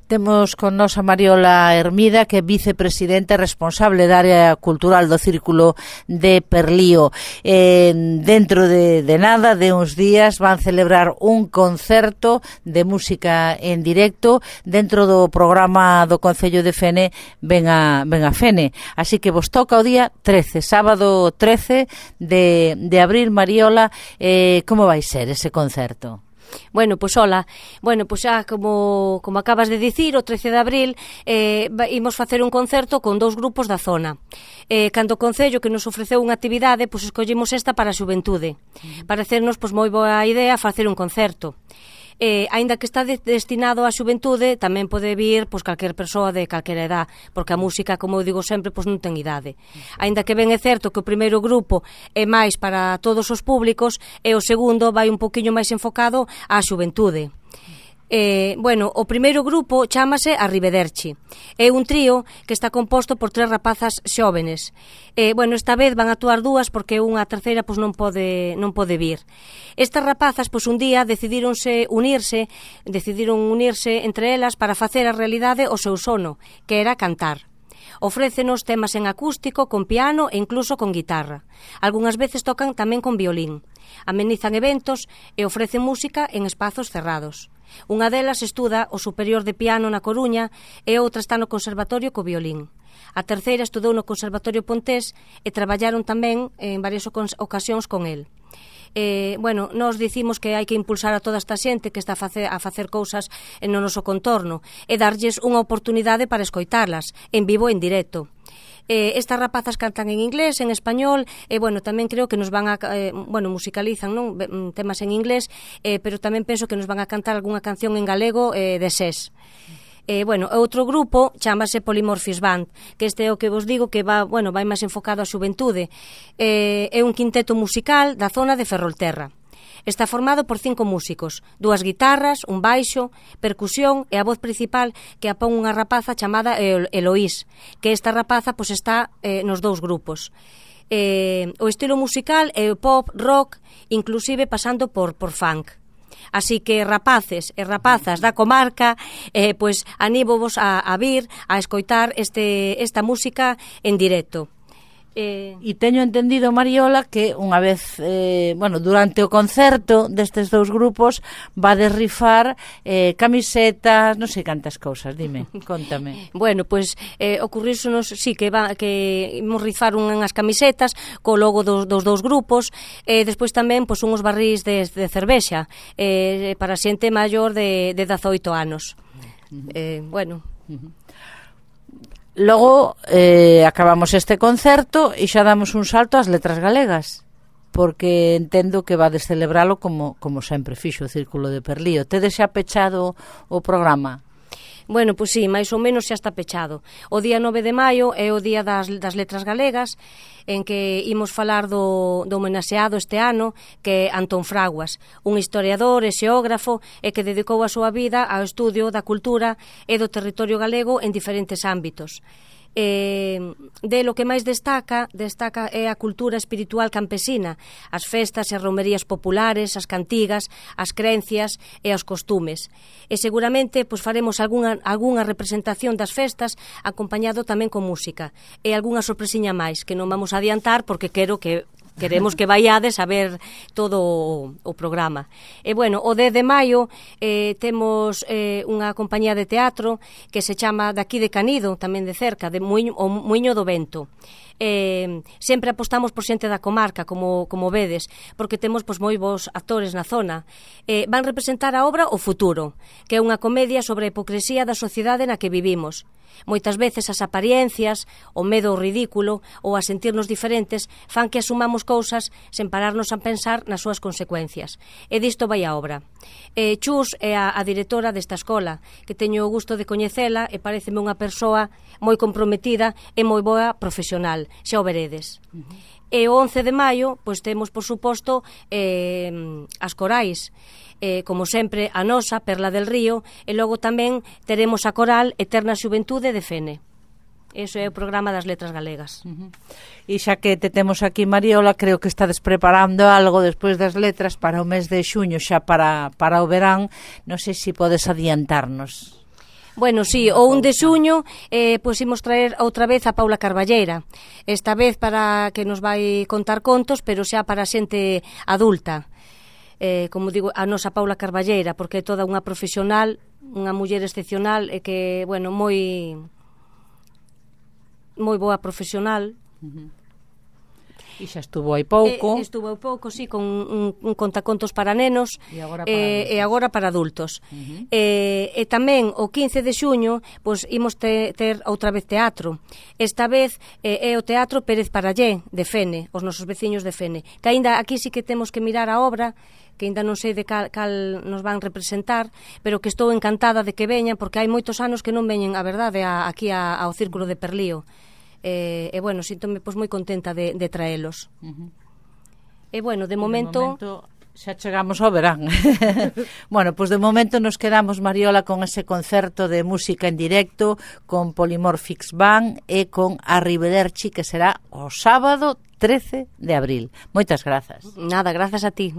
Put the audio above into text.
Temos con nos a Mariola Hermida, que é vicepresidente responsable da área cultural do Círculo de Perlío. Dentro de nada, de uns días, van celebrar un concerto de música en directo dentro do programa do Concello de Fene Ven a Fene. Así que vos toca o día 13, sábado 13 de abril. Mariola, como vai ser ese concerto? Bueno, pois hola. Bueno, pois xa como acabas de dicir, o 13 de abril imos facer un concerto con dous grupos da zona. Cando o Concello que nos ofreceu unha actividade, pois escollimos esta para a xuventude. Parecernos pois moi boa idea facer un concerto. Aínda que está destinado á xuventude, tamén pode vir pois calquer persoa de calquera edad, porque a música, como eu digo sempre, pois non ten idade. Aínda que ben é certo que o primeiro grupo é máis para todos os públicos e o segundo vai un poquinho máis enfocado á xuventude. Bueno, o primeiro grupo chámase Arrivederci. É un trío que está composto por 3 rapazas xóvenes. Bueno, esta vez van a actuar 2 porque unha terceira pois non pode vir. Estas rapazas pois un día decidiron unirse entre elas para facer a realidade o seu sono, que era cantar. Ofrécenos temas en acústico, con piano e incluso con guitarra. Algúnas veces tocan tamén con violín. Amenizan eventos e ofrecen música en espazos cerrados. Unha delas estuda o superior de piano na Coruña e outra está no conservatorio co violín. A terceira estudou no Conservatorio Pontés e traballaron tamén en varias ocasións con el. Bueno, nós dicimos que hai que impulsar a toda esta xente que está a facer cousas no noso contorno e darlles unha oportunidade para escoitarlas en vivo e en directo. Estas rapazas cantan en inglés, en español e, bueno, tamén creo que nos van a musicalizan, non? Temas en inglés, pero tamén penso que nos van a cantar algunha canción en galego de SES. Bueno, outro grupo chámase Polymorphis Band, que este é o que vos digo que vai máis enfocado á xuventude. É un quinteto musical da zona de Ferrolterra. Está formado por 5 músicos, 2 guitarras, un baixo, percusión e a voz principal que a pon unha rapaza chamada Eloís, que esta rapaza pois está nos 2 grupos. O estilo musical é pop, rock, inclusive pasando por funk. Así que rapaces e rapazas da comarca, pois anímovos a vir a escoitar esta música en directo. E teño entendido, Mariola, que unha vez, durante o concerto destes 2 grupos vades rifar camisetas, non sei cantas cousas, dime, contame. Bueno, pois ocurrísonos, sí, que imos rifar unhas camisetas co logo dos 2 grupos e despois tamén pois unhos barrís de cervexa para xente maior de 18 anos. Bueno... Logo acabamos este concerto e xa damos un salto ás letras galegas, porque entendo que vades celebralo como sempre fixo o Círculo de Perlío. Tedes xa pechado o programa? Bueno, pois sí, máis ou menos xa está pechado. O día 9 de maio é o día das letras galegas, en que imos falar do homenaxeado este ano, que é Antón Fraguas, un historiador e xeógrafo e que dedicou a súa vida ao estudio da cultura e do territorio galego en diferentes ámbitos. De lo que máis destaca é a cultura espiritual campesina, as festas e romerías populares, as cantigas, as creencias e os costumes. E seguramente pois faremos algunha representación das festas acompañado tamén con música e algunha sorpresiña máis que non vamos a adiantar porque queremos que vaiades a ver todo o programa. E, bueno, o 10 de maio temos unha compañía de teatro que se chama daqui de Canido, tamén de cerca, o Muiño do Vento. Sempre apostamos por xente da comarca, como vedes, porque temos pois moi bons actores na zona. Van representar a obra O Futuro, que é unha comedia sobre a hipocresía da sociedade na que vivimos. Moitas veces as apariencias, o medo ao ridículo ou a sentirnos diferentes fan que asumamos cousas sen pararnos a pensar nas súas consecuencias. E disto vai a obra. Chus é a directora desta escola, que teño o gusto de coñecela e pareceme unha persoa moi comprometida e moi boa profesional, xa o veredes. E o 11 de maio, pois temos, por suposto, as corais. Como sempre, a nosa, Perla del Río, e logo tamén teremos a coral Eterna Xuventude de Fene. Eso é o programa das letras galegas. E xa que te temos aquí, Mariola, creo que estades preparando algo despois das letras para o mes de xuño, xa para o verán. Non sei se podes adiantarnos. Bueno, sí, o 1 de xuño pois imos traer outra vez a Paula Carballeira. Esta vez para que nos vai contar contos, pero xa para xente adulta. Como digo, a nosa Paula Carballeira, porque é toda unha profesional, unha muller excepcional e que, bueno, moi boa profesional. E xa estuvo hai pouco. Estuvo hai pouco, sí, con un contacontos para nenos e agora para adultos. E tamén o 15 de xuño pois imos ter outra vez teatro. Esta vez é o Teatro Pérez Parallé de Fene, os nosos veciños de Fene, que aínda aquí sí que temos que mirar a obra, que aínda non sei de cal nos van representar, pero que estou encantada de que veñan, porque hai moitos anos que non veñen, a verdade, aquí ao Círculo de Perlío. E bueno, síntome pois moi contenta de traelos. E bueno, de momento xa chegamos ao verán. Bueno, pois de momento nos quedamos, Mariola, con ese concerto de música en directo con Polymorphix Band e con Arrivederci, que será o sábado 13 de abril. Moitas grazas. Nada, grazas a ti.